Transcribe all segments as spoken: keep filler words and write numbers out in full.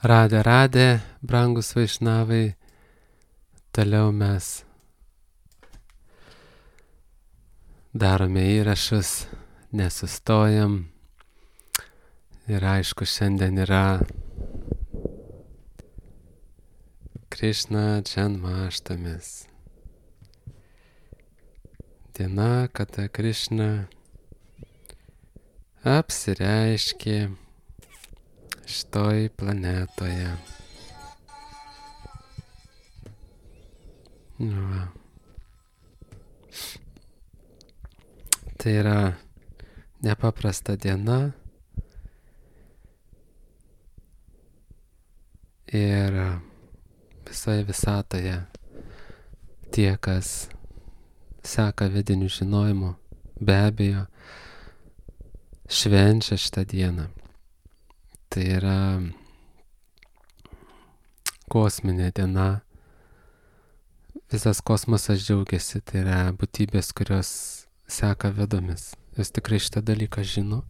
Radė, radė, brangus vaišnavai, toliau mes darome įrašus, nesustojam. Ir aišku, šiandien yra Krišna Džanmaštamis. Diena, kada Krišna apsireiškė šitoj planetoje. Va. Tai yra nepaprasta diena ir visoje visatoje tie, kas seka vidinių žinojimų, be abejo, švenčia šitą dieną. Tai yra kosminė diena. Visas kosmosas džiaugiasi, tai yra būtybės, kurios seka vedomis. Jos tikrai šitą dalyką žino.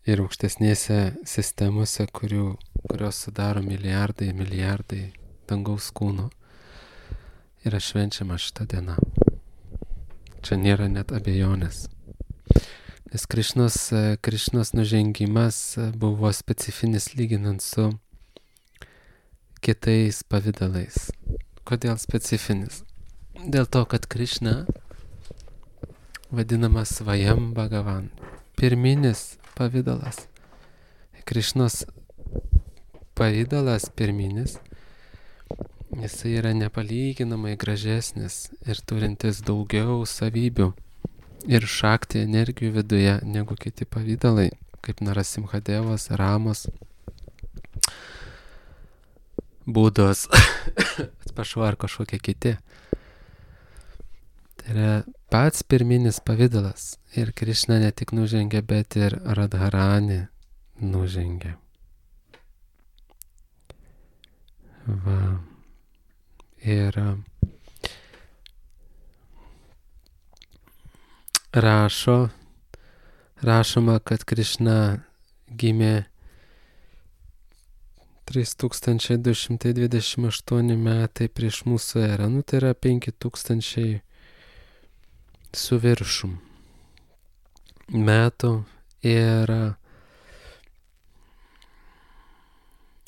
Ir aukštesnėse sistemose, kurių, kurios sudaro milijardai, milijardai dangaus kūnų, yra švenčiama šitą dieną. Čia nėra net abejonės. Nes Krišnos, Krišnos nužengimas buvo specifinis lyginant su kitais pavidalais. Kodėl specifinis? Dėl to, kad Krišna vadinamas Svajam Bhagavan. Pirminis pavidalas. Krišnos pavidalas pirminis, jisai yra nepalyginamai gražesnis ir turintis daugiau savybių ir šakti energijų viduje negu kiti pavidalai, kaip Narasimhadevas, Ramos, Budos, atsiprašau, ar kažkokie kiti. Tai yra pats pirminis pavidalas. Ir Krišna ne tik nužengia, bet ir Radharani nužengia. Va. Ir rašo, rašoma, kad Krišna gimė trys tūkstančiai du šimtai dvidešimt aštuoni metai prieš mūsų erą. Nu, tai yra penki tūkstančiai su viršum metų. Ir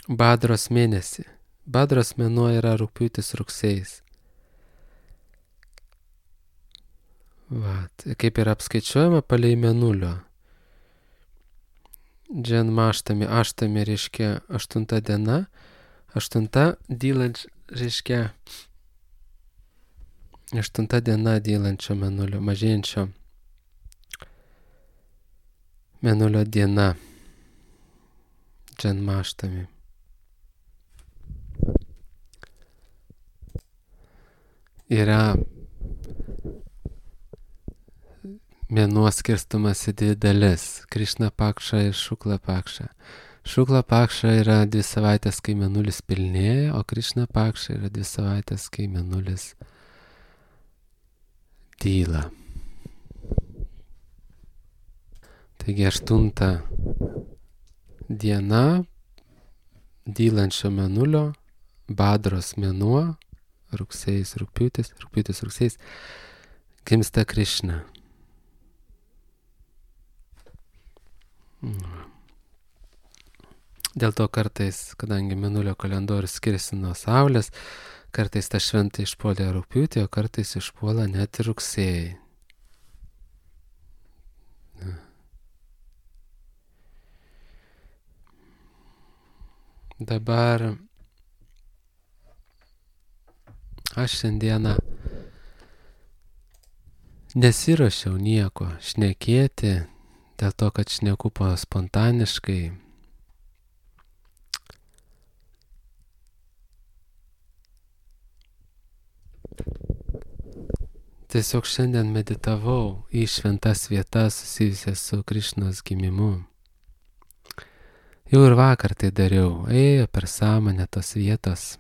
Badros mėnesį. Badros mėnuo yra rugpjūtis rugsėjis. Vat, kaip yra apskaičiuojama palei mėnulio. Džanmaštami, aštami reiškia aštunta diena, aštunta dylanč reiškia aštunta diena dylančio mėnulio, mažėjančio mėnulio diena. Džanmaštami. Yra mėnuo skirstumas į dvi dalis. Krišna Pakša ir Šukla Pakša. Šukla Pakša yra dvi savaitės, kai mėnulis pilnėja, o Krišna Pakša yra dvi savaitės, kai mėnulis dyla. Taigi aštunta diena dylančio mėnulio, Badros mėnuo, rugsėjis, rugpjūtis, rugpjūtis, rugsėjis, gimsta Krišna. Dėl to kartais, kadangi mėnulio kalendorius skiriasi nuo Saulės, kartais ta šventė išpuolė rugpjūtį, o kartais išpuola net ir rugsėjai. Dabar aš šiandieną nesiruošiau nieko šnekėti, dėl to, kad šneku spontaniškai. Tiesiog šiandien meditavau į šventas vietas susijusias su Krišnos gimimu. Jau ir vakar tai dariau, ėjo per sąmonę tos vietos.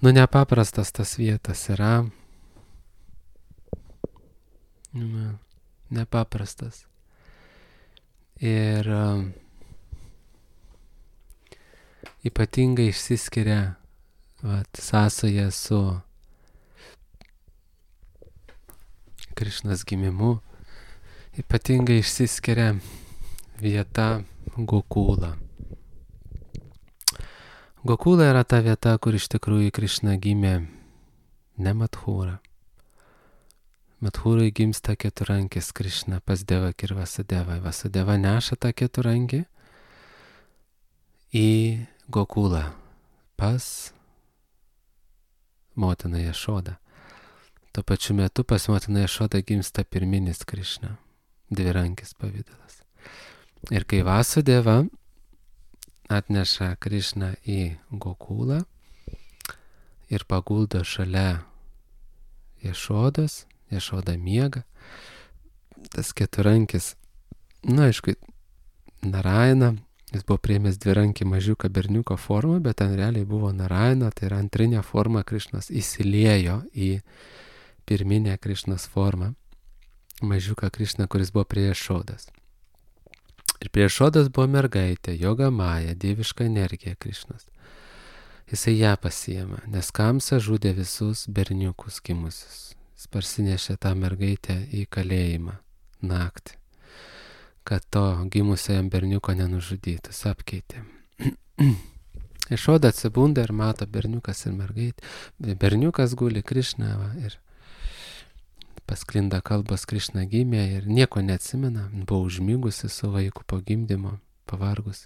Nu, nepaprastas tas vietas yra. nepaprastas. Ir uh, ypatingai išsiskiria vat, sąsaja su Krišnos gimimu, ypatingai išsiskiria vieta Gokula. Gokula yra ta vieta, kur iš tikrųjų Krišna gimė ne Madhūra. Madhūrai gimsta keturankis Krišna pas Devaki ir Vasudevą. Vasudeva neša tą keturankį į Gokulą pas motiną Jašodą. Tuo pačiu metu pas motiną Jašodą gimsta pirminis Krišna, dvirankis pavidalas. Ir kai Vasudeva atneša Krišną į Gokulą ir paguldo šalia Jašodos, Jašoda miega, tas keturankis, na aišku, Narayana, jis buvo priėmęs dvirankį mažiuką berniuko formą, bet ten realiai buvo Narayana, tai yra antrinė forma Krišnos, įsiliejo į pirminę Krišnos formą, mažiuką Krišną, kuris buvo prie Jašodos. Ir prie Jašodos buvo mergaitė, Joga Maja, dieviška energija Krišnos. Jisai ją pasiėmė, nes Kamsa žudė visus berniukus gimusius. Jis parsinešė tą mergaitę į kalėjimą naktį, kad to gimusio jam berniuko nenužudytų, jis apkeitė. Jašoda atsibunda ir mato berniukas ir mergaitė. Berniukas guli Krišna va, ir pasklinda kalbos Krišna gimė ir nieko neatsimena, buvo užmigusi su vaiku po gimdymo, pavargus.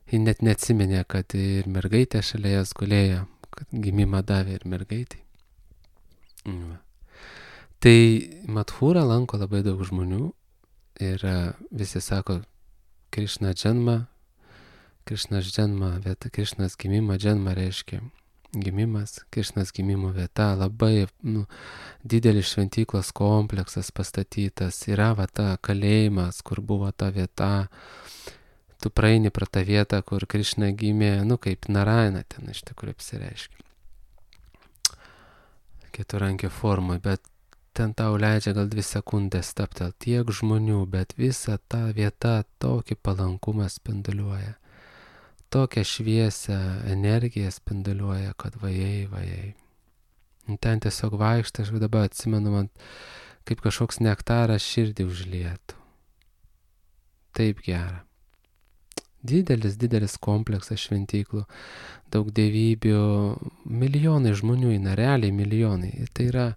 Ji net neatsiminė, kad ir mergaitė šalia jas gulėjo, kad gimimą davė ir mergaitai. Va. Tai Madhūrą lanko labai daug žmonių ir visi sako Krišna dženma, Krišnas dženma, vieta Krišnas gimimą, dženma reiškia gimimas, Krišnos gimimo vieta, labai nu, didelis šventyklos kompleksas pastatytas, yra va ta kalėjimas, kur buvo ta vieta, tu praeini pro tą vietą, kur Krišna gimė, nu kaip Narayana ten iš tikrųjų apsireiškia. Keturankio formui, bet ten tau leidžia gal dvi sekundės stabtel tiek žmonių, bet visa ta vieta tokį palankumą spinduliuoja. Tokią šviesią energiją spinduliuoja, kad vajai, vajai. Ten tiesiog vaikštai, aš dabar atsimenu, man kaip kažkoks nektaras širdį užlietų. Taip gera. Didelis, didelis kompleksas šventyklų, daug dievybių, milijonai žmonių, realiai milijonai. Tai yra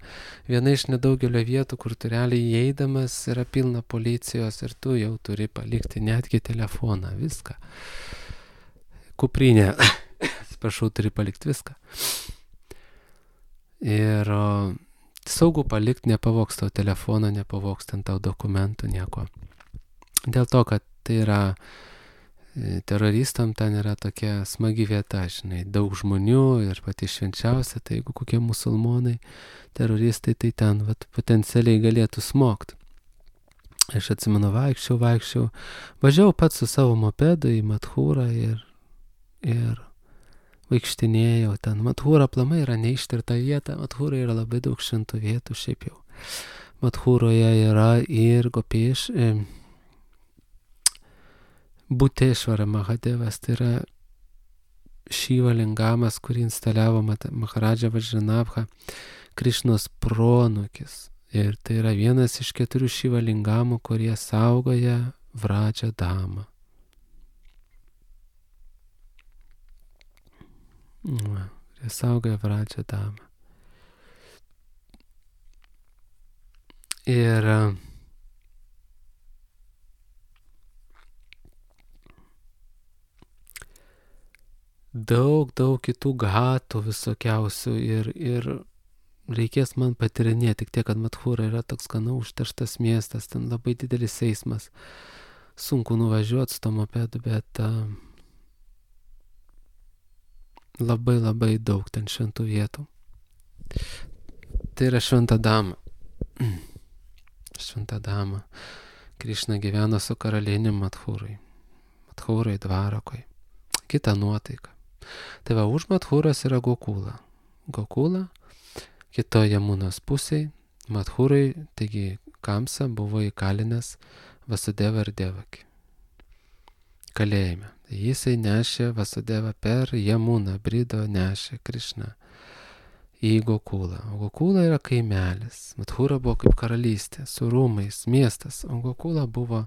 viena iš nedaugelio vietų, kur tu realiai įeidamas yra pilna policijos ir tu jau turi palikti netgi telefoną, viską. Kuprinė, atsiprašau, turi palikti viską. Ir o, saugu palikti, nepavoks tau telefoną, nepavoks ten tau dokumentų, nieko. Dėl to, kad tai yra teroristam, ten yra tokia smagi vieta, žinai, daug žmonių ir pati švenčiausia, tai jeigu kokie musulmonai, teroristai, tai ten vat, potencialiai galėtų smogt. Aš atsimenu, vaikščiau, vaikščiau, važiavau pats su savo mopedu į Madhūrą ir ir vaikštinėjau ten. Madhūra aplamai yra neištirta vieta, Madhūra yra labai daug šventų vietų šiaip jau. Madhūroje yra ir Gopėš, e, Butešvara Mahadevas, tai yra Šiva lingamas, kurį instaliavo Maharadža Vajranabha, Krišnos pronukis. Ir tai yra vienas iš keturių Šiva lingamų, kurie saugoja Vraja damą. Va, jie saugoja Vraja damą. Ir daug, daug kitų gatų visokiausių ir, ir reikės man patirinėti, tik tiek, kad Madhūra yra toks gana užterštas miestas, ten labai didelis eismas, sunku nuvažiuoti su to mopedu, bet uh, labai labai daug ten šventų vietų. Tai yra Šventa dama. Šventa dama. Krišna gyveno su karalienė Madhūrai. Madhūrai Dvarakoj. Kita nuotaika. Tai va, už Madhūros yra Gokula. Gokula, kitoje Jamunos pusėje, Madhūrai, taigi Kamsa buvo įkalinęs Vasudevą ir Devakį kalėjime. Jisai nešė Vasudevą per Jamuną, brido nešė Krišną į Gokulą. O Gokula yra kaimelis. Mathura buvo kaip karalystė, su rūmais, miestas. O Gokula buvo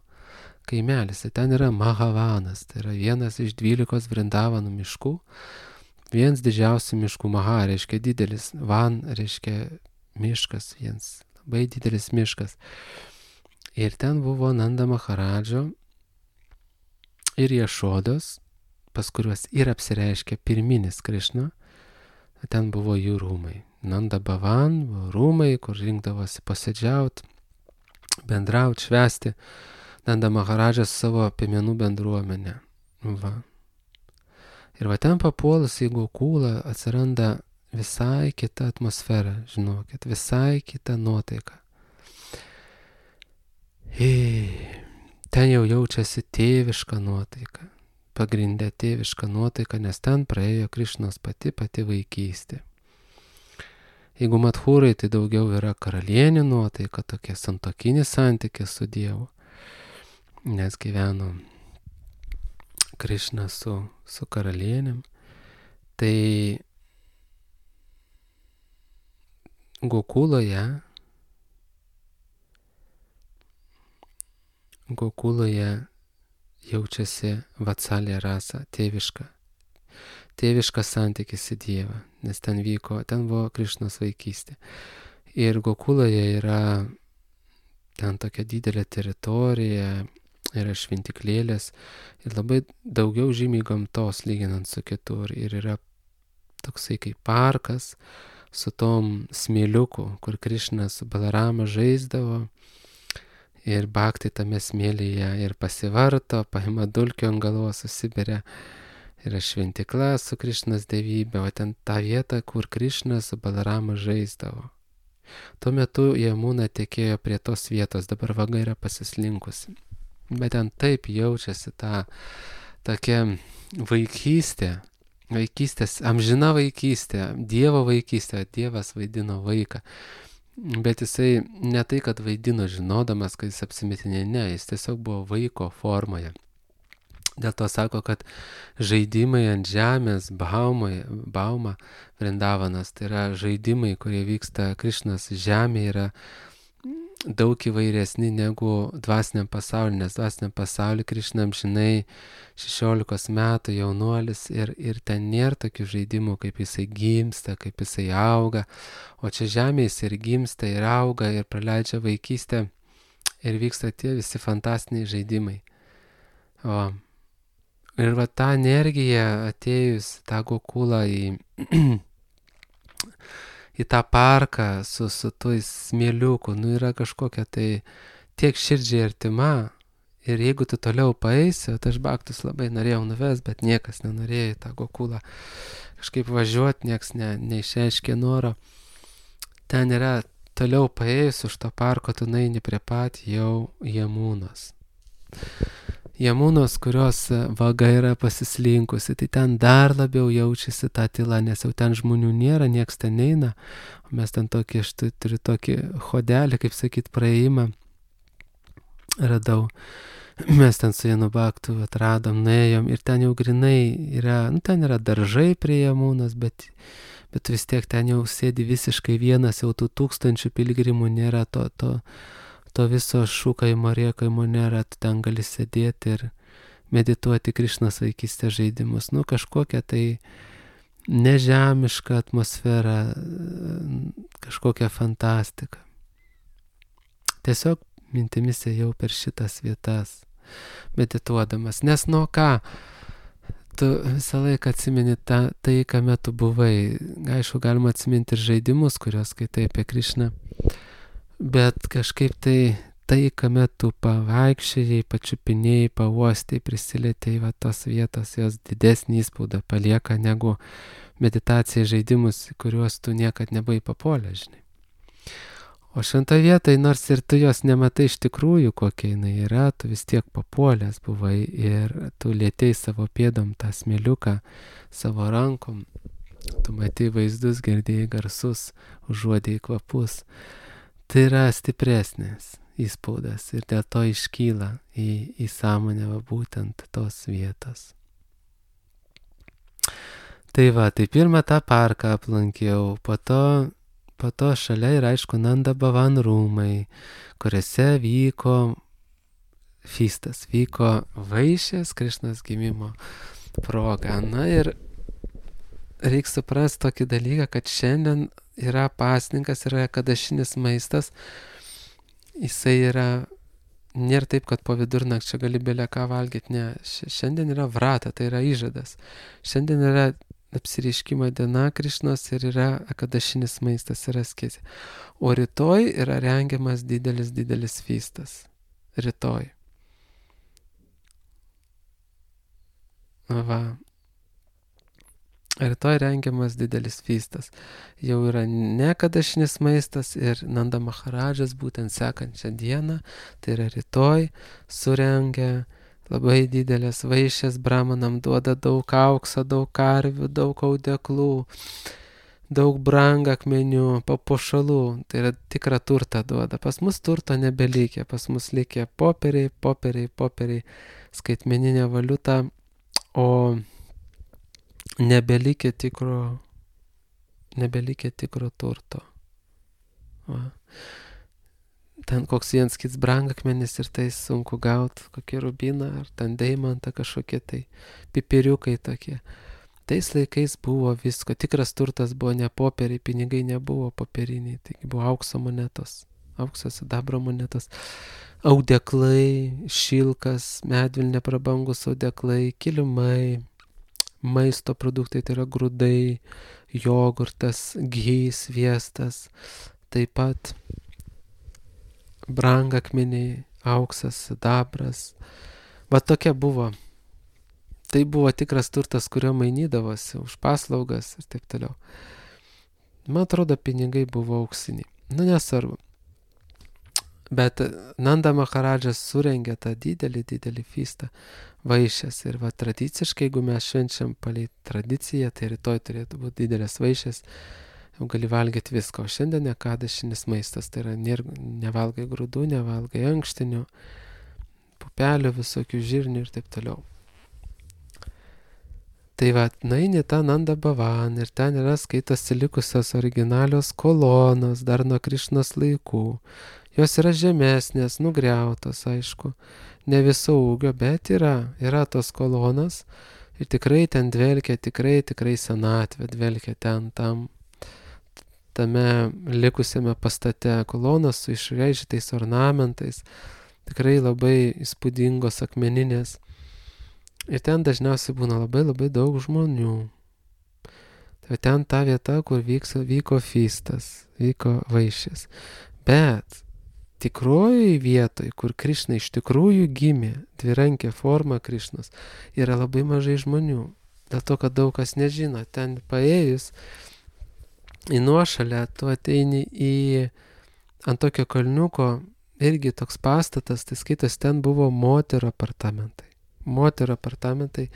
kaimelis. Ir ten yra Mahavanas. Tai yra vienas iš dvylikos Vrindavanų miškų. Vienas didžiausių miškų. Maha reiškia didelis. Van reiškia miškas. Vienas labai didelis miškas. Ir ten buvo Nanda Maharadžo ir Jašodos, pas kuriuos ir apsireiškia pirminis Krišna. Ten buvo jų rūmai. Nanda Bhavan buvo rūmai, kur rinkdavosi posėdžiauti, bendrauti, švęsti. Nanda Maharadžas savo piemenų bendruomenę. Va. Ir va ten papuolus į Gokulą atsiranda visai kita atmosfera, žinokit, visai kita nuotaika. Ir ten jau jaučiasi tėviška nuotaika. Pagrindė tėviška nuotaika, nes ten praėjo Krišnos pati pati vaikystė. Jeigu Mathūrai, tai daugiau yra karalienė nuotaika, tokia santuokinis santykis su Dievu, nes gyveno Krišna su, su karalienėm. Tai Gokuloje, Gokuloje jaučiasi Vatsalya rasa, tėviška. Tėviškas santykis į Dievą, nes ten vyko, ten buvo Krišnos vaikystė. Ir Gokuloje yra ten tokia didelė teritorija, yra šventiklėlės ir labai daugiau žymiai gamtos lyginant su kitur. Ir yra toksai kaip parkas su tom smėliuku, kur Krišna su Balarama žaisdavo. Ir Bhakti tame smėlyje ir pasivarto, paima dulkių ant galvos, susiberia. Yra šventikla su Krišnos dievybė, o ten ta vieta, kur Krišna su Balarama žaisdavo. Tuo metu Jamuna tekėjo prie tos vietos, dabar vaga yra pasislinkusi. Bet ten taip jaučiasi ta tokia vaikystė, vaikystės, amžina vaikystė, Dievo vaikystė, Dievas vaidino vaiką. Bet jisai ne tai, kad vaidino žinodamas, kad jis apsimetinė, ne, jis tiesiog buvo vaiko formoje. Dėl to sako, kad žaidimai ant žemės, baumoje, bauma, Vrindavanas, tai yra žaidimai, kurie vyksta Krišnos žemėje, yra daug įvairesni negu dvasiniam pasauliu, nes dvasiniam pasauliu Krišna amžinai šešiolikos metų jaunuolis ir, ir ten nėra tokių žaidimų, kaip jisai gimsta, kaip jisai auga, o čia žemėje jis ir gimsta, ir auga, ir praleidžia vaikystę, ir vyksta tie visi fantastiniai žaidimai. O, ir va ta energija atėjus tą Gokulą į į tą parką su, su tuo smėliuku, nu yra kažkokia tai tiek širdžiai artima. Ir jeigu tu toliau paeisi, o aš Bhaktus labai norėjau nuves, bet niekas nenorėjo į tą Gokulą kažkaip važiuoti, nieks ne, neišreiškė noro. Ten yra toliau paėjus už to parko, tu naini prie pat jau Jamunos. Jamunos, kurios vaga yra pasislinkusi, tai ten dar labiau jaučiasi ta tyla, nes jau ten žmonių nėra, nieks ten neina. O mes ten tokį, aš turiu tokį hodelį, kaip sakyt, praėjimą radau. Mes ten su Janu Bhaktu atradom, nuėjom ir ten jau grinai yra, nu ten yra daržai prie Jamunos, bet, bet vis tiek ten jau sėdi visiškai vienas, jau tų tūkstančių piligrimų nėra, to, to to viso šūkaimo, rėkaimo nėra, tu ten gali sėdėti ir medituoti Krišnos vaikystės žaidimus. Nu, kažkokia tai nežemiška atmosfera, kažkokia fantastika. Tiesiog mintimis ėjau per šitas vietas, medituodamas. Nes nuo ką? Tu visą laiką atsimeni tą, tai, kame tu buvai. Aišku, galima atsiminti ir žaidimus, kuriuos skaitai apie Krišną. Bet kažkaip tai, tai, kame tu pavaikščiai, pačiupinėjai, pauostai, prisilietėjai, va tos vietos, jos didesnį įspaudą palieka negu meditacija žaidimus, kuriuos tu niekad nebuvai papolę, žinai. O šventą vietą, nors ir tu jos nematai iš tikrųjų, kokia jinai yra, tu vis tiek papolęs buvai ir tu lietėjai savo pėdom tą smėliuką, savo rankom, tu matei vaizdus, girdėjai garsus, užuodėjai kvapus. Tai yra stipresnis. įspaudas ir dėl to iškyla į, į sąmonę va, būtent tos vietos. Tai va, tai pirmą tą parką aplankiau, po to, po to šalia ir aišku Nanda Bhavan rūmai, kuriuose vyko feastas, vyko vaišės Krišnos gimimo proga. Na ir reikia suprasti tokį dalyką, kad šiandien yra pasninkas, yra kadašinis maistas, jisai yra, nėra taip, kad po vidurnakčio gali belę ką valgyti, ne, šiandien yra vrata, tai yra įžadas. Šiandien yra apsireiškimo diena Krišnos ir yra kadašinis maistas, yra skėsė. O rytoj yra rengiamas didelis, didelis feastas. Rytoj. Va. Rytoj rengiamas didelis feastas. Jau yra ne kadašinis maistas ir Nanda Maharadžas būtent sekančią dieną, tai yra rytoj, surengia labai didelės vaišės, brahmanam duoda daug aukso, daug karvių, daug audeklų, daug brangakmenių, papuošalų, tai yra tikrą turtą duoda. Pas mus turto nebelikė, pas mus likė popieriai, popieriai, popieriai, skaitmeninė valiuta, o nebelikė tikro, nebelikė tikro turto. Va. Ten koks vienas kits brangakmenis ir tai sunku gauti, kokį rubiną ar ten deimantą kažkokie tai pipiriukai tokie. Tais laikais buvo visko, tikras turtas buvo ne popieriai, pinigai nebuvo popieriniai, taigi buvo aukso monetos, aukso sidabro monetos, audeklai, šilkas, medvilnė prabangus audeklai, kilimai, maisto produktai, tai yra grūdai, jogurtas, ghee, sviestas, taip pat brangakmeniai, auksas, sidabras. Va tokia buvo. Tai buvo tikras turtas, kurio mainydavosi už paslaugas ir taip toliau. Man atrodo, pinigai buvo auksiniai. Nu, nesvarbu. Bet Nanda Maharadžas surengė tą didelį, didelį feastą vaišės. Ir va tradiciškai, jeigu mes švenčiam palei tradiciją, tai rytoj turėtų būti didelės vaišės. Jau gali valgyti viską, o šiandien kadašinis maistas, tai yra nevalgai grūdų, nevalgai ankštinių, pupelių, visokių žirnių ir taip toliau. Tai va, nueini tą Nanda Bhavan ir ten yra skaitosi likusios originalios kolonos dar nuo Krišnos laikų. Jos yra žemesnės, nugriautos, aišku, ne viso ūgio, bet yra, yra tos kolonos ir tikrai ten dvelkia, tikrai, tikrai senatvė dvelkia ten tam. Tame likusiame pastate kolonos su išraižytais ornamentais, tikrai labai įspūdingos akmeninės. Ir ten dažniausiai būna labai labai daug žmonių. Tai ten ta vieta, kur vyks, vyko feastas, vyko vaišės. Bet tikroji vietoj, kur Krišna iš tikrųjų gimė, dvirankė forma Krišnos, yra labai mažai žmonių. Dėl to, kad daug kas nežino, ten paėjus į nuošalę, tu ateini į ant tokio kalniuko, irgi toks pastatas, tai skaitas, ten buvo moterų apartamentai. Moterų apartamentai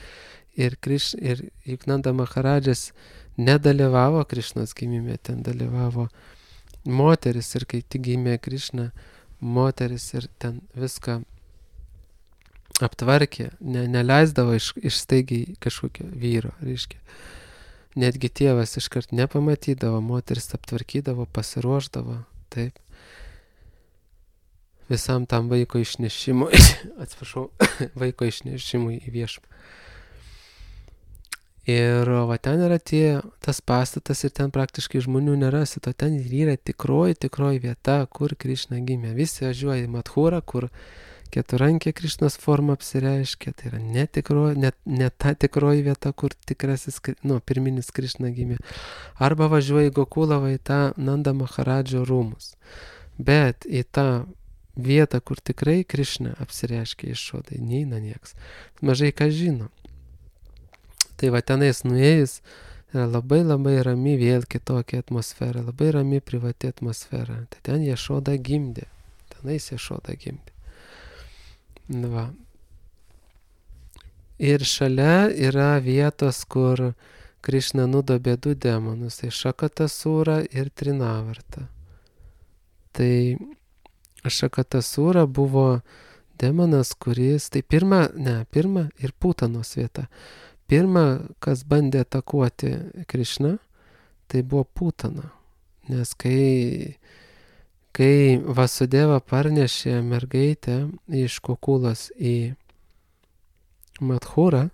ir, Kriš, ir juk Nanda Maharadžas nedalyvavo Krišnos gimime, ten dalyvavo moteris ir kai tik gimė Krišna, moteris ir ten viską aptvarkė, ne, neleisdavo iš, išstaigiai kažkokio vyro, reiškia. Netgi tėvas iškart nepamatydavo, moteris aptvarkydavo, pasiruošdavo, taip. Visam tam vaiko išnešimui, atsiprašau, vaiko išnešimui į viešumą. Ir va ten yra tie, tas pastatas ir ten praktiškai žmonių nerasi, o ten yra tikroji, tikroji vieta, kur Krišna gimė. Visi važiuoja į Madhūrą, kur keturankė Krišnos forma apsireiškia, tai yra ne, tikro, ne, ne ta tikroji vieta, kur tikrasis, nu, pirminis Krišna gimė. Arba važiuoja į Gokulavą, į tą Nanda Maharadžo rūmus. Bet į tą vietą, kur tikrai Krišna apsireiškia išodai, neina nieks. Mažai ką žino. Tai va tenais nuėjus, yra labai labai rami vėl kitokia atmosfera, labai rami privati atmosfera. Tai ten Ješoda gimdė, tenais Ješoda gimdė. Va. Ir šalia yra vietos, kur Krišna nudobė du demonus, tai Šakatasūrą ir Trinavartą. Tai Šakatasūra buvo demonas, kuris, tai pirma, ne, pirma ir Putanos vieta. Pirma, kas bandė atakuoti Krišną, tai buvo Putana. Nes kai, kai Vasudeva parnešė mergaitę iš Kukulos į Madhūrą,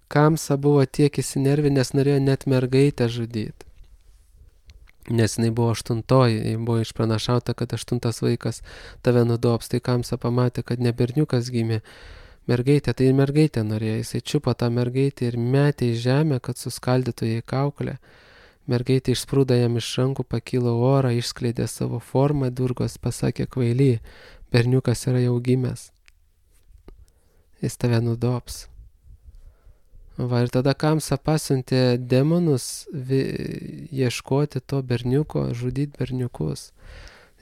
Kamsa buvo tiek įsinervinęs, norėjo net mergaitę žudyti. Nes jinai buvo aštuntoji, buvo išpranašauta, kad aštuntas vaikas tave nudobs. Tai Kamsa pamatė, kad ne berniukas gimė mergaitė, tai mergaitė norėjo. Jisai čiupo tą mergaitę ir metė į žemę, kad suskaldytų jai kaukolę. Mergaitė išsprūdo jam iš rankų, pakilo orą, išskleidė savo formą, Durgos pasakė: kvaily, berniukas yra jau gimęs. Jis tave nudobs. Va, ir tada Kamsa pasiuntė demonus vi, ieškoti to berniuko, žudyti berniukus.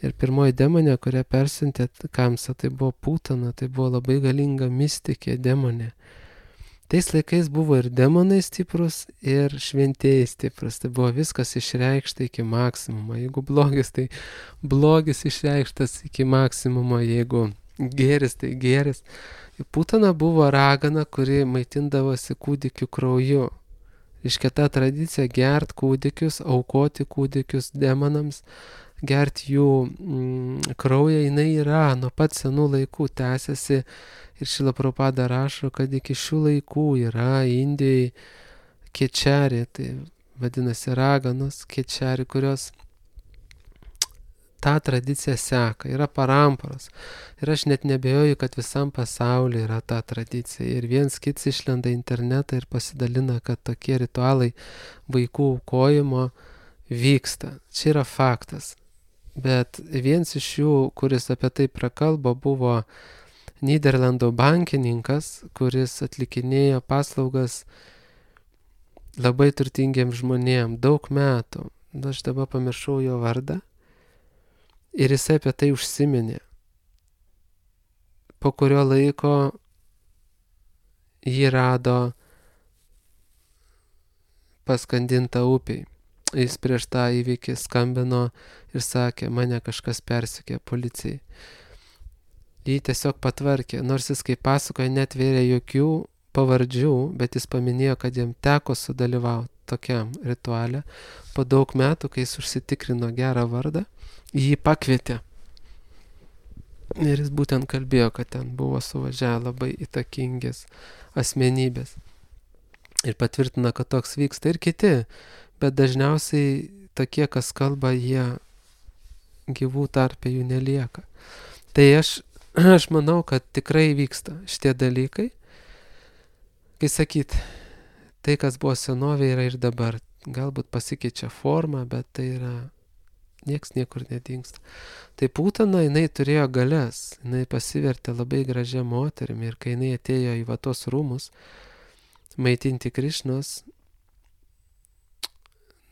Ir pirmoji demonė, kurią persiuntė Kamsa, tai buvo Putana, tai buvo labai galinga mistikė demonė. Tais laikais buvo ir demonai stiprus, ir šventieji stiprus. Tai buvo viskas išreikšta iki maksimumo. Jeigu blogis, tai blogis išreikštas iki maksimumo. Jeigu gėris, tai gėris. Putana buvo ragana, kuri maitindavosi kūdikių krauju. Iškia ta tradicija gert kūdikius, aukoti kūdikius demonams, gert jų mm, kraują, jinai yra nuo pat senų laikų tęsiasi. Ir Šrila Prabhupada rašo, kad iki šių laikų yra Indijai kečari, tai vadinasi raganos kečari, kurios tą tradiciją seka, yra paramparos. Ir aš net nebejoju, kad visam pasaulyje yra ta tradicija. Ir viens kits išlenda internetą ir pasidalina, kad tokie ritualai vaikų aukojimo vyksta. Čia yra faktas. Bet viens iš jų, kuris apie tai prakalbo, buvo Nyderlandų bankininkas, kuris atlikinėjo paslaugas labai turtingiems žmonėms daug metų. Aš dabar pamiršau jo vardą. Ir jisai apie tai užsiminė. Po kurio laiko jį rado paskandintą upiai. Jis prieš tą įvykį skambino ir sakė: mane kažkas persekė policijai. Jį tiesiog patvarkė, nors jis, kaip pasakoja, netvėrė jokių pavardžių, bet jis paminėjo, kad jam teko sudalyvauti tokiam rituale. Po daug metų, kai jis užsitikrino gerą vardą, jį pakvietė. Ir jis būtent kalbėjo, kad ten buvo suvažiavę labai įtakingės asmenybės. Ir patvirtina, kad toks vyksta ir kiti, bet dažniausiai tokie, kas kalba, jie gyvų tarpe jų nelieka. Tai aš, aš manau, kad tikrai vyksta šitie dalykai. Kai sakyt, tai, kas buvo senovė, yra ir dabar. Galbūt pasikeičia forma, bet tai yra nieks niekur nedingsta. Tai Putana, jinai turėjo galias, jinai pasivertė labai gražią moterimi ir kai jinai atėjo į vatos rūmus maitinti Krišnos,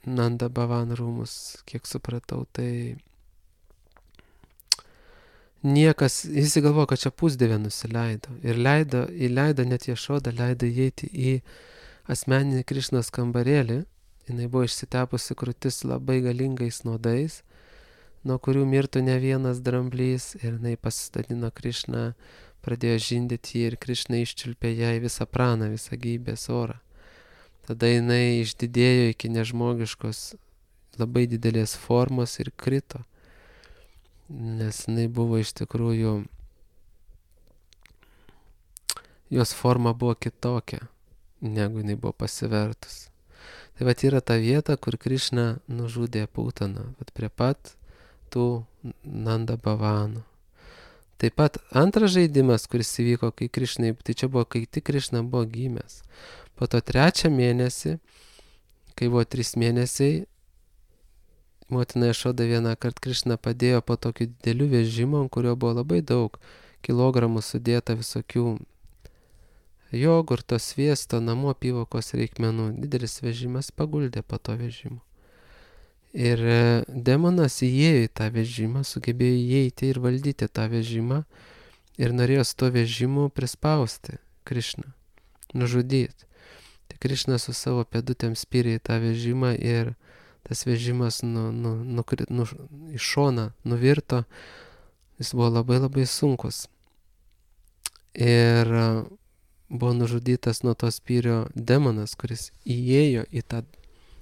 Nanda Bhavan rūmus, kiek supratau, tai niekas, jis įgalvojo, kad čia pusdievė nusileido ir leido, įleido net Jašodą, leido įeiti į asmeninį Krišnos kambarėlį. Jinai buvo išsitepusi krūtis labai galingais nuodais, nuo kurių mirtų ne vienas dramblys, ir jinai pasistatino Krišną, pradėjo žindyti jį ir Krišna iščiulpė jai visą praną, visą gyvybės orą. Tada jinai išdidėjo iki nežmogiškos labai didelės formos ir krito, nes jinai buvo iš tikrųjų, jos forma buvo kitokia, negu jinai buvo pasivertus. Tai vat yra ta vieta, kur Krišna nužudė Putaną, vat prie pat tų Nanda Bhavanų. Taip pat antras žaidimas, kuris įvyko, kai Krišnai, tai čia buvo, kai tik Krišna buvo gimęs. Po to trečią mėnesį, kai buvo trys mėnesiai, motina Jašoda vieną kart Krišną padėjo po tokiu dideliu vežimu, ant kurio buvo labai daug kilogramų sudėta visokių jogurto, sviesto, namų apyvokos reikmenų. Didelis vežimas, paguldė po to vežimu. Ir demonas įėjo į tą vežimą, sugebėjo įeiti ir valdyti tą vežimą ir norėjo su to vežimu prispausti Krišną, nužudyti. Tai Krišna su savo pėdutėm spyrė į tą vežimą ir tas vežimas nu, nu, nu, nu, iš šoną nuvirto, Jis buvo labai labai sunkus. Ir buvo nužudytas nuo to spyrio demonas, kuris įėjo į tą,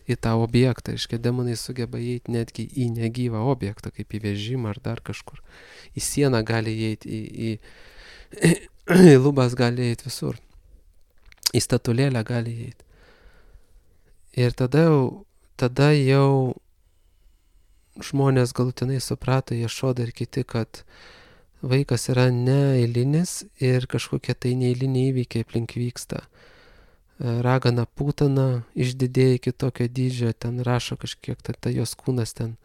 į tą objektą. Reiškia, demonai sugeba įeiti netgi į negyvą objektą, kaip į vežimą ar dar kažkur. Į sieną gali įeiti, į, į, į lubas gali įeiti visur. Į statulėlę gali įeiti. Ir tada jau, tada jau žmonės galutinai suprato, Ješoda ir kiti, kad vaikas yra neeilinis ir kažkokie tai neeiliniai įvykiai aplink vyksta. Ragana Putana išdidėjo iki tokio dydžio, ten rašo kažkiek, tai ta jos kūnas ten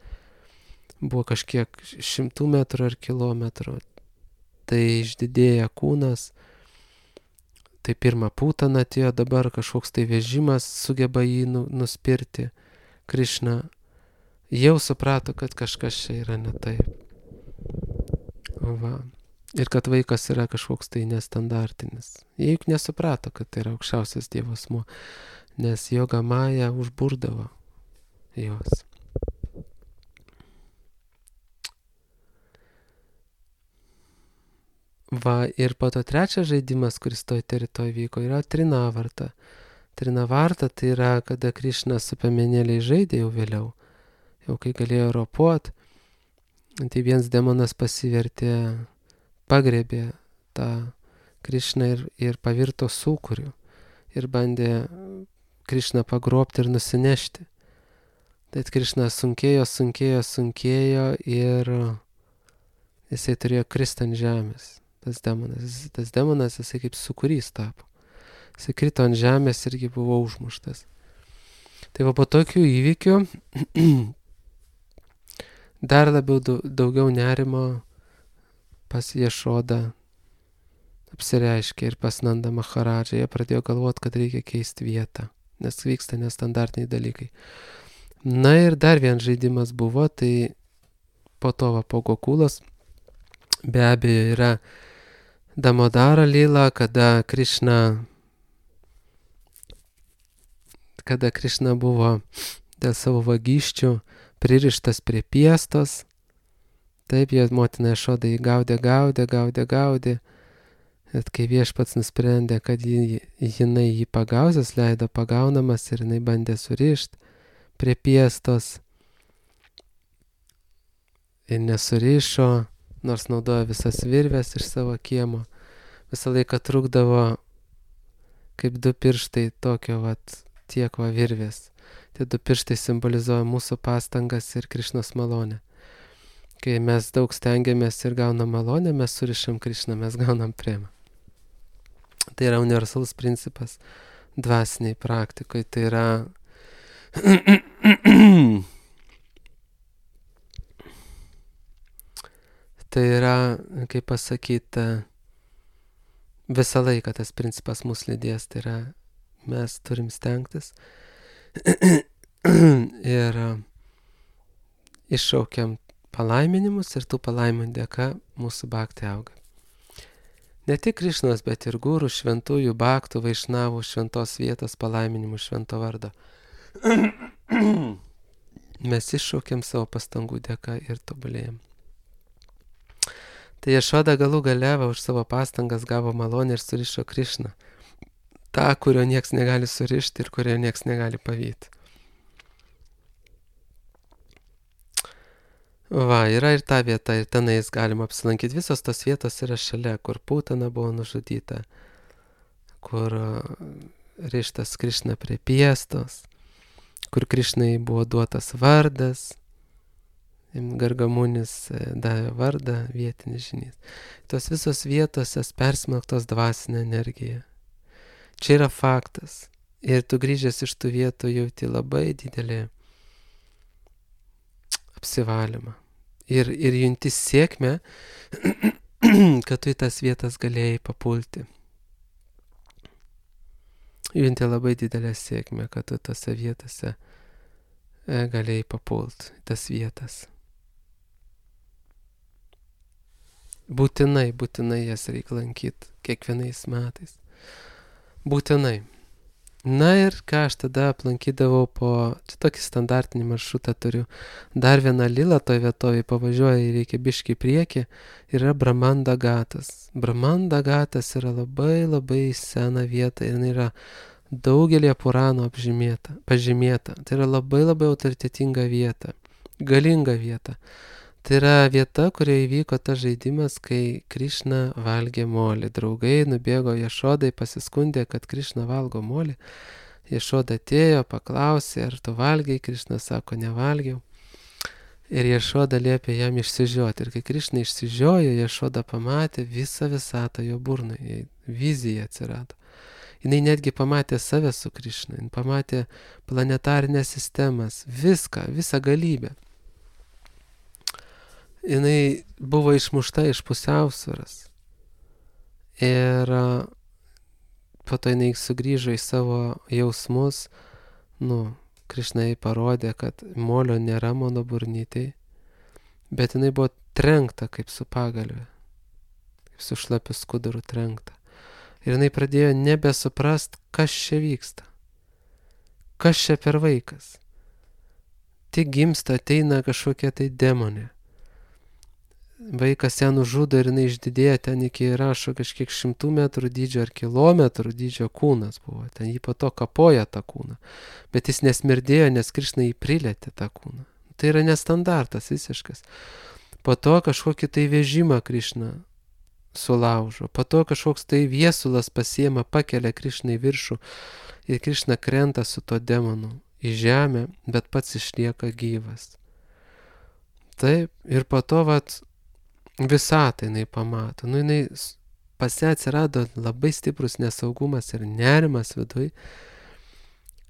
buvo kažkiek šimtų metrų ar kilometrų. Tai išdidėja kūnas. Tai pirmą Putaną atėjo, dabar kažkoks tai vežimas sugeba jį nu, nuspirti. Krišna jau suprato, kad kažkas čia yra ne taip. Va. Ir kad vaikas yra kažkoks tai nestandartinis. Jie juk nesuprato, kad tai yra aukščiausias Dievo asmuo, nes Joga Maja užburdavo juos. Va, ir po to trečias žaidimas, kuris toj teritorijoje vyko, yra Trinavarta. Trinavarta tai yra, kada Krišna su piemenėliais žaidė jau vėliau, jau kai galėjo ropot, tai vienas demonas pasivertė, pagrebė tą Krišną ir, ir pavirto sūkuriu ir bandė Krišną pagrobti ir nusinešti. Tai Krišna sunkėjo, sunkėjo, sunkėjo ir jisai turėjo kristi ant žemės. Tas demonas, tas demonas jisai kaip sūkurys tapo. Jisai krito ant žemės irgi buvo užmuštas. Tai va po tokių įvykių dar labiau daugiau nerimo pas Ješodą apsireiškė ir pas Nanda Maharadžą. Jie pradėjo galvoti, kad reikia keisti vietą, nes vyksta nestandartiniai dalykai. Na ir dar vienas žaidimas buvo, tai po to va po Gokulos be abejo yra Damodara lila, kada Krišna kada Krišna buvo dėl savo vagysčių pririštas prie piestos. Taip, jo motina Ješoda jį gaudė, gaudė, gaudė, gaudė. Ir kai Viešpats nusprendė, kad jį, jinai jį pagauzęs, leido pagaunamas ir jinai bandė surišti prie piestos. Ir nesurišo, nors naudojo visas virves iš savo kiemo. Visą laiką trukdavo kaip du pirštai tokio vat tiek va virvės. Tie du pirštai simbolizuoja mūsų pastangas ir Krišnos malonę. Kai mes daug stengiamės ir gaunam malonę, mes surišam Krišną, mes gaunam premą. Tai yra universalus principas dvasiniai praktikoje. Tai yra tai yra, kaip pasakyti, visą laiką tas principas mus lydės. Tai yra, mes turim stengtis ir iššaukiam palaiminimus ir tų palaiminimų dėka mūsų bhakti auga. Ne tik Krišnos, bet ir gurų, šventųjų, bhaktų, vaišnavų, šventos vietos palaiminimų, švento vardo. Mes iššaukiam savo pastangų dėka ir tobulėjam. Tai Ješoda galų gale už savo pastangas gavo malonę ir surišo Krišną. Ta, kurio nieks negali surišti ir kurio nieks negali pavyti. Va, yra ir ta vieta, ir tenais galima apsilankyti. Visos tos vietos yra šalia, kur Putana buvo nužudyta, kur rištas Krišna prie piestos, kur Krišnai buvo duotas vardas, Gargamunis davė vardą, vietinis žynys. Tos visos vietos persmelktos dvasinė energija. Čia yra faktas. Ir tu grįžęs iš tų vietų jauti labai didelį apsivalymą. Ir, ir junti sėkmę, kad tu į tas vietas galėjai papulti. Junti labai didelę sėkmę, kad tu tose vietose galėjai papulti į tas vietas. Būtinai, būtinai jas reikia lankyti kiekvienais metais. Būtinai. Na ir ką aš tada aplankydavau po, čia tokį standartinį maršrutą turiu, dar vieną lilą toj vietovėj, pavažiuoja į reikia biškį į priekį, yra Brahmanda Gatas. Brahmanda Gatas yra labai labai sena vieta ir jinai yra daugelį Puranų apžymėta, pažymėta. Tai yra labai labai autoritetinga vieta, galinga vieta. Tai yra vieta, kurioje įvyko tas žaidimas, kai Krišna valgė molį. Draugai nubėgo Ješodai, pasiskundė, kad Krišna valgo molį. Ješoda atėjo, paklausė, ar tu valgiai, Krišna sako, nevalgiau. Ir Ješoda liepė jam išsižioti. Ir kai Krišna išsižiojo, Ješoda pamatė visą visatą jo burnai, vizija atsirado. Jis netgi pamatė save su Krišna, jis pamatė planetarinės sistemas, viską, visą galybę. Jis buvo išmušta iš pusiausvyros. Ir po to jis sugrįžo į savo jausmus. Nu, Krišna jai parodė, kad molio nėra mano burnytėj, bet jinai buvo trenkta kaip su pagalve, kaip su šlapiu skuduru trenkta. Ir jinai pradėjo nebesuprast, kas čia vyksta. Kas čia per vaikas. Tik gimsta, ateina kažkokia tai demonė. Vaikas ją nužudo ir jinai išdidėjo ten iki rašo kažkiek šimtų metrų dydžio ar kilometrų dydžio kūnas buvo. Ten jį po to kapoja tą kūną. Bet jis nesmirdėjo, nes Krišna jį prilėtė tą kūną. Tai yra nestandartas visiškas. Po to kažkokį tai vežimą Krišna sulaužo. Po to kažkoks tai viesulas pasiema, pakelia Krišną į viršų ir Krišna krenta su to demonu į žemę, bet pats išlieka gyvas. Taip, ir po to vat visatą jinai pamato. Nu, jinai pas ją atsirado labai stiprus nesaugumas ir nerimas viduj.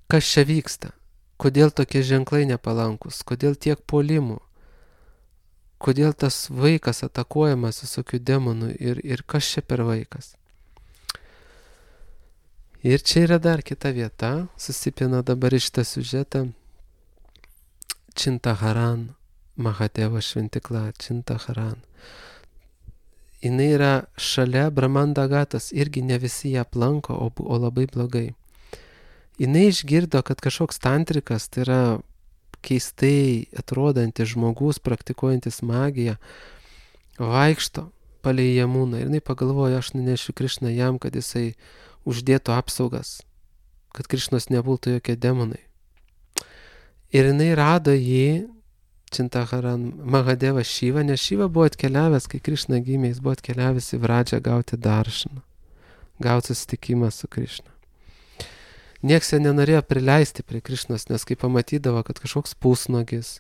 Kas čia vyksta? Kodėl tokie ženklai nepalankus? Kodėl tiek puolimų? Kodėl tas vaikas atakuojamas visokių demonų ir, ir kas čia per vaikas? Ir čia yra dar kita vieta, susipina dabar iš tą siužetą. Čintaharan, Mahadevo šventikla, Čintaharan. Jis yra šalia Brahmanda Gatos, irgi ne visi ją aplanko, o, o labai blogai. Jis išgirdo, kad kažkoks tantrikas, tai yra keistai atrodantis žmogus, praktikuojantis magiją, vaikšto palei Jamuną. Ir jinai pagalvojo, aš nunešiu Krišną jam, kad jisai uždėtų apsaugas, kad Krišnos nebūtų jokie demonai. Ir jinai rado jį, Čintaharan, Mahadevą Šyvą, nes Šyva buvo atkeliavęs, kai Krišna gimė, jis buvo atkeliavęs į Vradžią gauti daršaną, gauti susitikimą su Krišna. Nieks jo nenorėjo prileisti prie Krišnos, nes kai pamatydavo, kad kažkoks pusnogis,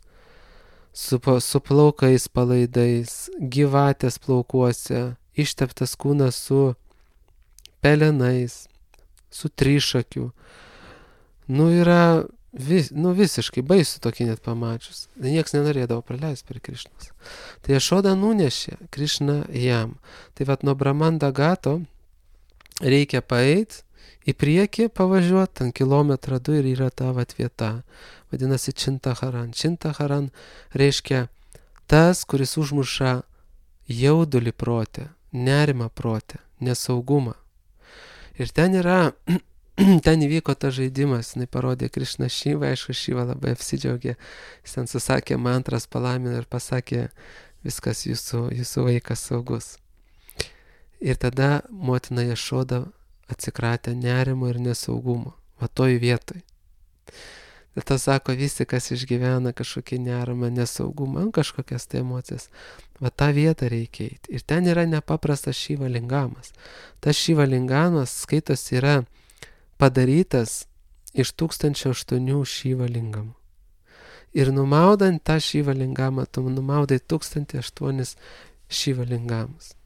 su, su plaukais palaidais, gyvatės plaukuose, išteptas kūnas su pelenais, su trišakiu, nu yra vis, nu visiškai baisu tokį net pamačius. Nieks nenorėdavo prileisti prie Krišnos. Tai Ješoda nunešė Krišną jam. Tai vat nuo Brahmanda Gato reikia paeit, į priekį pavažiuoti, ant kilometrą du ir yra ta vat vieta. Vadinasi Čintaharan. Čintaharan reiškia tas, kuris užmuša jaudulį protę, nerimą protę, nesaugumą. Ir ten yra, ten įvyko tas žaidimas, jinai parodė Krišną Šyvą, aišku, Šyva labai apsidžiaugė, jis ten susakė mantras, palamino ir pasakė, viskas jūsų, jūsų vaikas saugus. Ir tada motina Ješoda atsikratė nerimo ir nesaugumo, va toj vietoj. Ir tas sako, visi, kas išgyvena kažkokį nerimą, nesaugumą, kažkokias tai emocijas, va tą vietą reikia eiti. Ir ten yra nepaprastas Šyva lingamas. Tas Šyva lingamas skaitos yra padarytas iš tūkstančio aštuonių Šyva lingamų. Ir numaudant tą Šyva lingamą, tu numaudai tūkstantį aštuonis Šyva lingamus.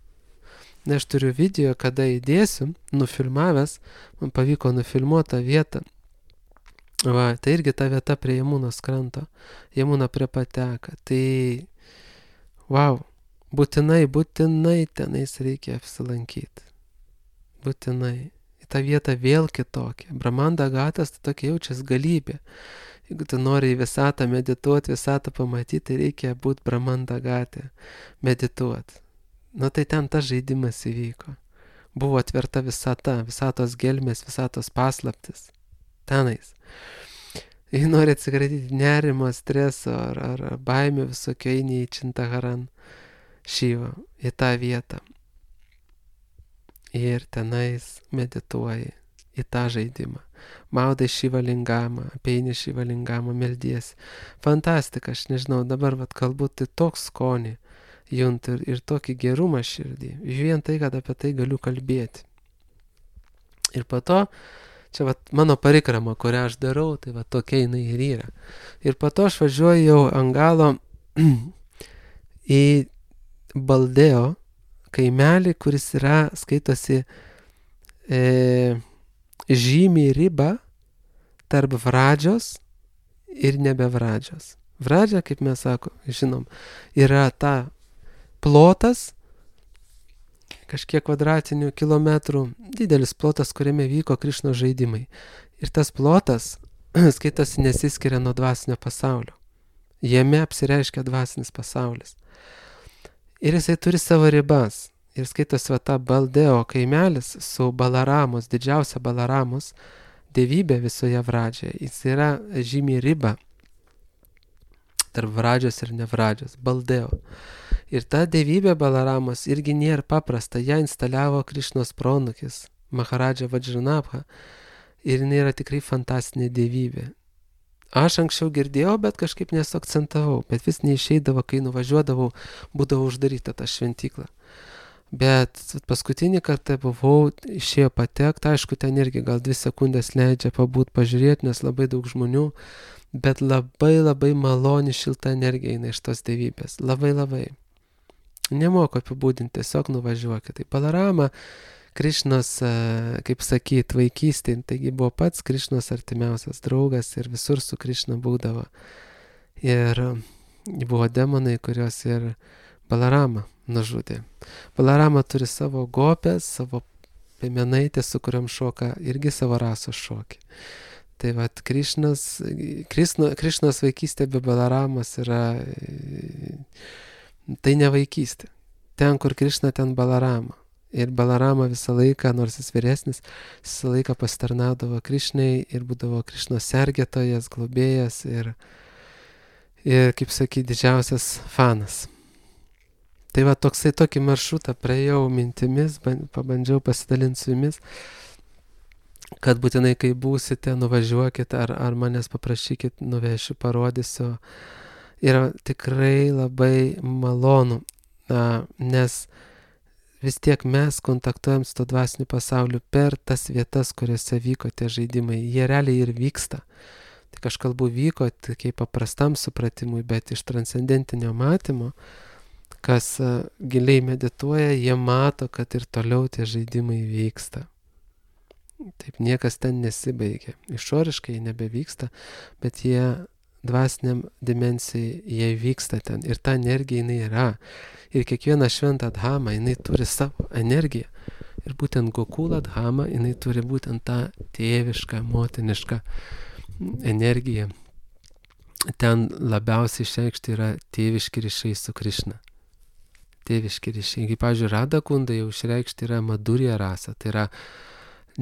Na, aš turiu video, kada įdėsiu, nufilmavęs, man pavyko nufilmuoti tą vietą. Va, tai irgi ta vieta prie Jamunos kranto, Jamuna prie pateka. Tai, wow, būtinai, būtinai tenais reikia apsilankyti. Būtinai. Į tą vietą vėl kitokia. Brahmanda Gatas tai tokia jaučias galybė. Jeigu tu nori į visatą medituoti, visatą pamatyti, tai reikia būti Brahmanda Gate, medituoti. Nu tai ten tas žaidimas įvyko. Buvo atverta visata, visatos gelmės, visatos paslaptis. tenais. Jei nori atsikratyti nerimo, streso ar, ar, ar baimių visokio, eini į Čintaharan Šyvą, į tą vietą. Ir tenais medituoji į tą žaidimą. Maudai Šivalingamą, apeini Šivalingamą, meldiesi. Fantastika, aš nežinau, dabar vat galbūt tai toks skonį juntu ir, ir tokį gerumą širdį. Vien tai, kad apie tai galiu kalbėti. Ir po to, čia vat mano parikrama, kurią aš darau, tai vat tokia jinai ir yra. Ir po to aš važiuoju jau ant galo į Baldeo kaimelį, kuris yra, skaitosi, e, žymiai riba tarp Vradžios ir nebe Vradžios. Vradžia, kaip mes sako, žinom, yra ta plotas, kažkiek kvadratinių kilometrų, didelis plotas, kuriame vyko Krišnos žaidimai. Ir tas plotas, skaitosi, nesiskiria nuo dvasinio pasaulio. Jame apsireiškia dvasinis pasaulis. Ir jisai turi savo ribas. Ir skaitosi va ta Baldeo kaimelis su Balaramos, didžiausia Balaramos dievybė visoje Vradžioje. Jis yra žymiai riba tarp Vradžios ir ne Vradžios. Baldeo. Ir ta dievybė Balaramos irgi nėra paprasta. Ją instaliavo Krišnos pronukis, Maharadža Vajranabha. Ir jinai yra tikrai fantastinė dievybė. Aš anksčiau girdėjau, bet kažkaip nesuakcentavau, bet vis neišeidavo, kai nuvažiuodavau, būdavo uždaryta ta šventykla. Bet paskutinį kartą buvau, išėjo patekti, aišku, ten irgi gal dvi sekundės leidžia pabūt, pažiūrėti, nes labai daug žmonių, bet labai labai maloni šilta energija eina iš tos dievybės, labai labai. Nemoku apibūdinti, tiesiog nuvažiuokit. Tai Balarama, Krišnos, kaip sakyt, vaikystė, taigi buvo pats Krišnos artimiausias draugas ir visur su Krišna būdavo. Ir buvo demonai, kurios ir Balarama nužudė. Balarama turi savo gopės, savo piemenaitės, su kuriam šoka irgi savo rasos šokį. Tai vat Krišnos, Krišno, Krišnos vaikystė be Balaramos yra, tai ne vaikystė. Ten, kur Krišna, ten Balarama. Ir Balarama visą laiką, nors jis vyresnis, visą laiką pasitarnaudavo Krišnai ir būdavo Krišnos sergėtojas, globėjas ir, ir kaip sakyti, didžiausias fanas. Tai va toksai tokį maršrutą praėjau mintimis, pabandžiau pasidalinti su jumis, kad būtinai, kai būsite, nuvažiuokit ar, ar manęs paprašykit, nuvešiu, parodysiu. Yra tikrai labai malonu, na, nes vis tiek mes kontaktuojam su to dvasiniu pasauliu per tas vietas, kuriuose vyko tie žaidimai. Jie realiai ir vyksta. Tik aš kalbu vyko kaip paprastam supratimui, bet iš transcendentinio matymo, kas uh, giliai medituoja, jie mato, kad ir toliau tie žaidimai vyksta. Taip niekas ten nesibaigia. Išoriškai nebevyksta, bet jie dvasiniam dimensijai, jie vyksta ten. Ir ta energija jinai yra. Ir kiekviena šventa dhama, jinai turi savo energiją. Ir būtent Gokula dhama, jinai turi būtent tą tėvišką, motinišką energiją. Ten labiausiai išreikšti yra tėviški ryšiai su Krišna. Tėviški ryšiai. Kaip, pavyzdžiui, Radha Kunda jau išreikšti yra Madhurya rasa. Tai yra,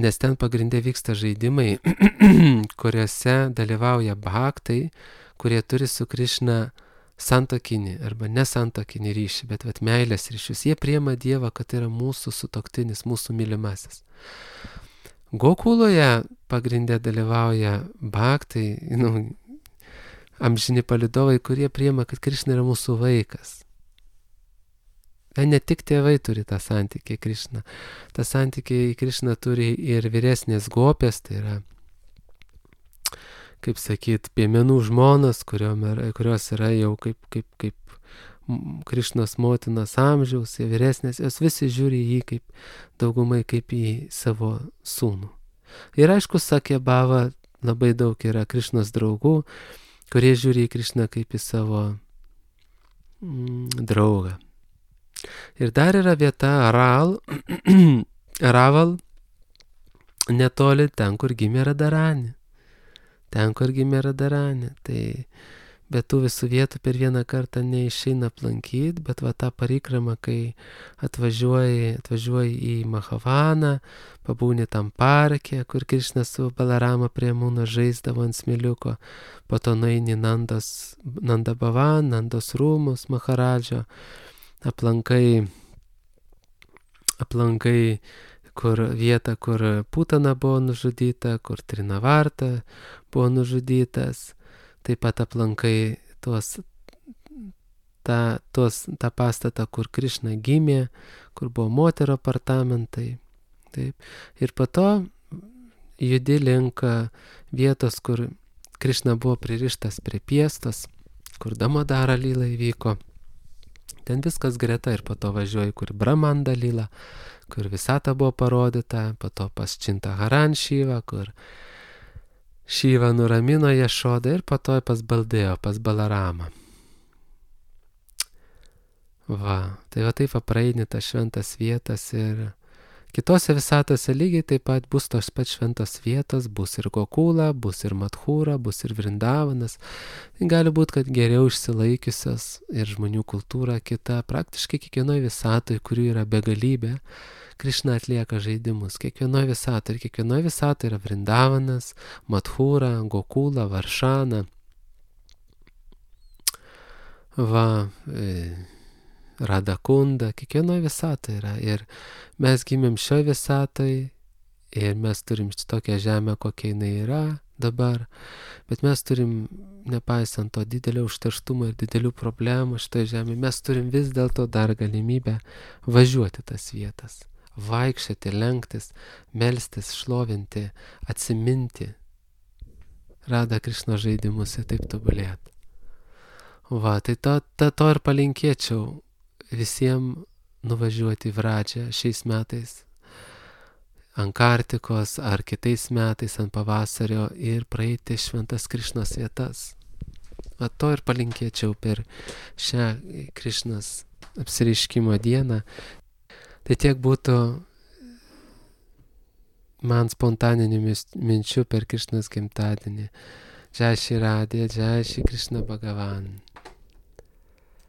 nes ten pagrindė vyksta žaidimai, kuriuose dalyvauja bhaktai, kurie turi su Krišna santokinį arba nesantokinį ryšį, bet vat meilės ryšius. Jie priima Dievą, kad tai yra mūsų sutuoktinis, mūsų mylimasis. Gokuloje pagrindė dalyvauja bhaktai, nu, amžini palidovai, kurie priima, kad Krišna yra mūsų vaikas. Ne tik tėvai turi tą santykį į Krišną. tą santykį į Krišną turi ir vyresnės gopės, tai yra, kaip sakyt, piemenų žmonos, kurios yra jau kaip, kaip, kaip Krišnos motinos amžiaus, vyresnės, jos visi žiūri jį kaip daugumai kaip į savo sūnų. Ir aišku, Sakya Bhava labai daug yra Krišnos draugų, kurie žiūri į Krišną kaip į savo mm, draugą. Ir dar yra vieta Aral, Raval, netoli ten, kur gimė Radharani. Ten, kur gimė Radharani. Tai bet tų visų vietų per vieną kartą neišeina aplankyti, bet va tą parikramą, kai atvažiuoji, atvažiuoji į Mahavaną, pabūni tam parke, kur Krišnas su Balarama prie Mūno žaisdavo ant smėliuko, po to nueini Nandos, Nandabavan, Nandos rūmus, Maharadžo, aplankai, aplankai kur vietą, kur Putana buvo nužudyta, kur Trinavarta buvo nužudytas, taip pat aplankai tuos, tą, tuos, tą pastatą, kur Krišna gimė, kur buvo moterų apartamentai. Taip. Ir po to judi link vietos, kur Krišna buvo pririštas prie piestos, kur Damodara lyla įvyko. Ten viskas greta ir po to važiuoji, kur Brahmanda lyla, kur visata buvo parodyta, po to pas Čintaharan Šyvą, kur Šyva nuramino Jašodą ir po to pas Baldėjo, pas Balaramą. Va, tai va taip apraeini tas šventas vietas ir kitose visatose lygiai taip pat bus tos pat šventos vietos, bus ir Gokula, bus ir Madhūra, bus ir Vrindavanas. Gali būti, kad geriau išsilaikiusios ir žmonių kultūra kita, praktiškai kiekvienoje visatoje, kurių yra begalybė, Krišna atlieka žaidimus. Kiekvienoje visatoje ir kiekvienoje visatoje yra Vrindavanas, Madhūra, Gokula, Varšana. Va, e, Radakunda, kiekvienoje visatoje yra. Ir mes gimėm šioje visatoje ir mes turim tokią žemę, kokia jinai yra dabar, bet mes turim, nepaisant to didelio užterštumo ir didelių problemų šitoje žemėje, mes turim vis dėlto dar galimybę važiuoti tas vietas, vaikščioti, lenktis, melstis, šlovinti, atsiminti, Rada Krišno žaidimus ir taip tobulėti. Va, tai to, to, to ir palinkėčiau visiems nuvažiuoti į Vradžią šiais metais ant Kartikos ar kitais metais ant pavasario ir praeiti šventas Krišnos vietas. Va, to ir palinkėčiau per šią Krišnos apsireiškimo dieną. Tai tiek būtų man spontaninių minčių per Krišnos gimtadienį. Jai Shri Radhe, Jai Shri Krishna Bhagavan.